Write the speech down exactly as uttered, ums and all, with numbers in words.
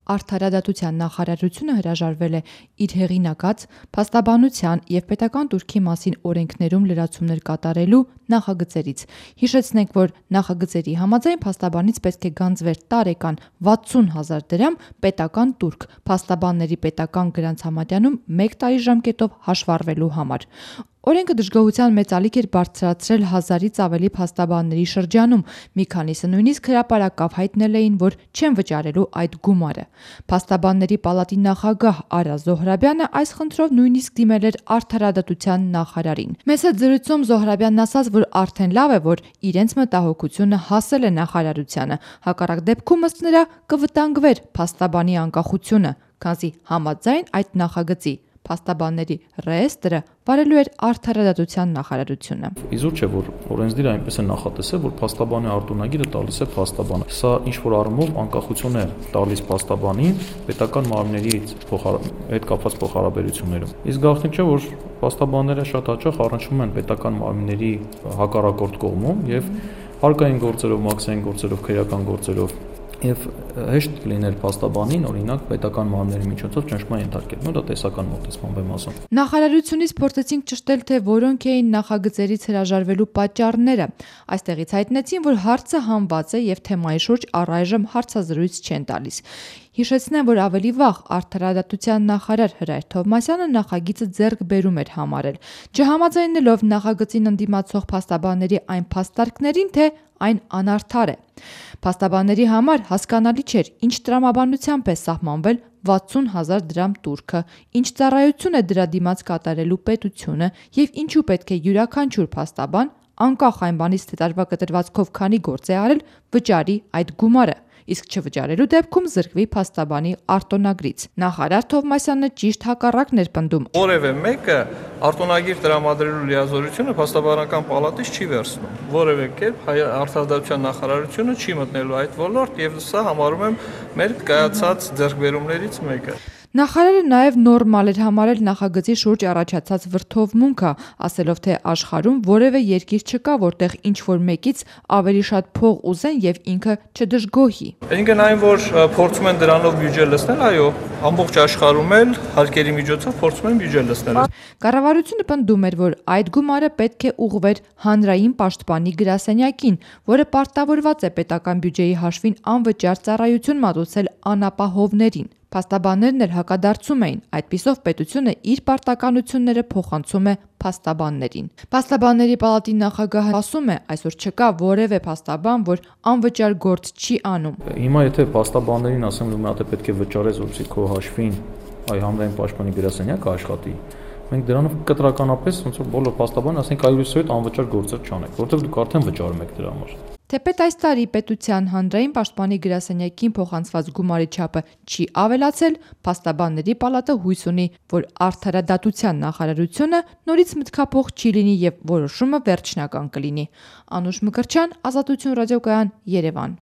Արդարադատության նախարարությունը հրաժարվել է իր հեղինակած փաստաբանության և պետական տուրքի մասին օրենքներում լրացումներ կատարելու նախագծերից։ Հիշեցնենք, որ նախագծերի համաձայն փաստաբանից պետք է գանձվեր տարեկան վաթսուն հազար դրամ պետական տուրք փաստաբանների պետական գրանց համարյանում մեկ տարի ժամկետով հաշվառվելու համար։ Օրենքը դժգոհության մեծ ալիք էր բարձրացրել հազարից ավելի փաստաբանների շրջանում, մի քանիսը նույնիսկ հրապարակավ հայտնել էին, որ չեն վճարելու այդ գումարը։ Փաստաբանների պալատի նախագահ Արա Զոհրաբյանը այս խնդրով նույնիսկ դիմել էր Արդարադատության նախարարին։ Մեծ հետ զրույցում Զոհրաբյանն ասաց, որ արդեն լավ է, որ իրենց մտահոգությունը հասել է նախարարությանը, հակառակ դեպքում ըստ նրա կվտանգվեր փաստաբանի անկախությունը, քանզի համաձայն այդ նախագծի փաստաբանների ռեեստրը վարելու էր Արդարադատության նախարարությունը։ Իզուր չէ, որ օրենսդիրը այնպես է նախատեսել, որ փաստաբանի արտոնագիրը տալիս է փաստաբանը։ Սա ինչ-որ առումով անկախություն է տալիս փաստաբանին պետական մարմինների հետ կապված փոխհարաբերություններում։ Իսկ գաղտնիք չէ, որ փաստաբանները շատ հաճախ առնչվում են պետական մարմինների հակառակորդ կողմում եւ հարկային գործերով, մաքսային գործերով, քրեական գործերով Եվ հեշտ կլիներ փաստաբանին, օրինակ, պետական մարմինների միջոցով ճնշման ենթարկել։ Նո դա տեսական մոտեցմամբ եմ ասում։ Նախարարությունից փորձեցինք ճշտել, թե որոնք էին նախագծերից հրաժարվելու պատճառները։ Այստեղից հայտնեցին, որ հարցը հանված է եւ թեմայի շուրջ առայժմ հարցազրույց չեն տալիս։ Հիշեցնեմ, որ ավելի վաղ Արդարադատության նախարար Հրայր Թովմասյանը նախագիծը ձեռք բերում էր համարել, չհամաձայնելով նախագծին ընդդիմացող փաստաբանների այն փաստարկներին, թե այն անարդար է։ Փաստաբանների համար հասկանալի չէր, ինչ տրամաբանությամբ է սահմանվել վաթսուն հազար դրամ տուրքը, ինչ ծառայություն է դրա դիմաց կատարելու պետությունը եւ ինչու պետք է յուրաքանչյուր փաստաբան, անկախ այն բանից, թե տարվա կտրվածքով քանի գործ է արել, վճարի այդ գումարը, իսկ չվճարելու դեպքում զրկվի փաստաբանի արտոնագրից։ Նախարար Թովմասյանը ճիշտ հակառակն էր պնդում։ Որևէ մեկը արտոնագիր տրամադրելու լիազորությունը փաստաբանական պալատից չի վերցնում։ Որևէ կերպ Արդարադատության նախարարությունը չի մտնելու այդ ոլորտ եւ սա համարում եմ մեր կայացած ձեռքբերումներից մեկը։ Նախարարը նաև նորմալ էր համարել նախագծի շուրջ առաջացած վրդովմունքը, ասելով, թե աշխարհում որևէ երկիր չկա, որտեղ ինչ-որ մեկից ավելի շատ փող ուզեն եւ ինքը չդժգոհի։ Այսինքն այն, որ փորձում են դրանով բյուջե լցնել, այո, ամբողջ աշխարհում էլ հարկերի միջոցով փորձում են բյուջե լցնել։ Կառավարությունը պնդում էր, որ այդ գումարը պետք է ուղղվեր հանրային պաշտպանի գրասենյակին, որը պարտավորված է պետական բյուջեի հաշվին անվճար ծառայություն մատուցել անապահովներին։ Փաստաբաններն էլ հակադարձում էին, այդպիսով պետությունը իր պարտականությունները փոխանցում է փաստաբաններին։ Փաստաբանների պալատի նախագահը ասում է, այսօր չկա որևէ փաստաբան, որ անվճար գործ չի անում։ Հիմա եթե փաստաբաններին ասեմ, որ մատը պետք է վճարես, որպեսզի քո հաշվին այ հանրային պաշտպանի գրասենյակը աշխատի, մենք դրանով կտրականապես ոնց որ բոլոր փաստաբանները ասենք այլուսով հետ անվճար գործեր չանեք, որովհետև դուք արդեն վճարում եք դրա համար։ Թեպետ այս տարի պետության հանրային պաշտպանի գրասենյակին փոխանցված գումարի չափը չի ավելացել, փաստաբանների պալատը հույս ունի, որ Արդարադատության նախարարությունը նորից մտքափոխ չի լինի եւ որոշումը վերջնական կլինի։ Անուշ Մկրտչյան, Ազատություն ռադիոկայան, Երևան։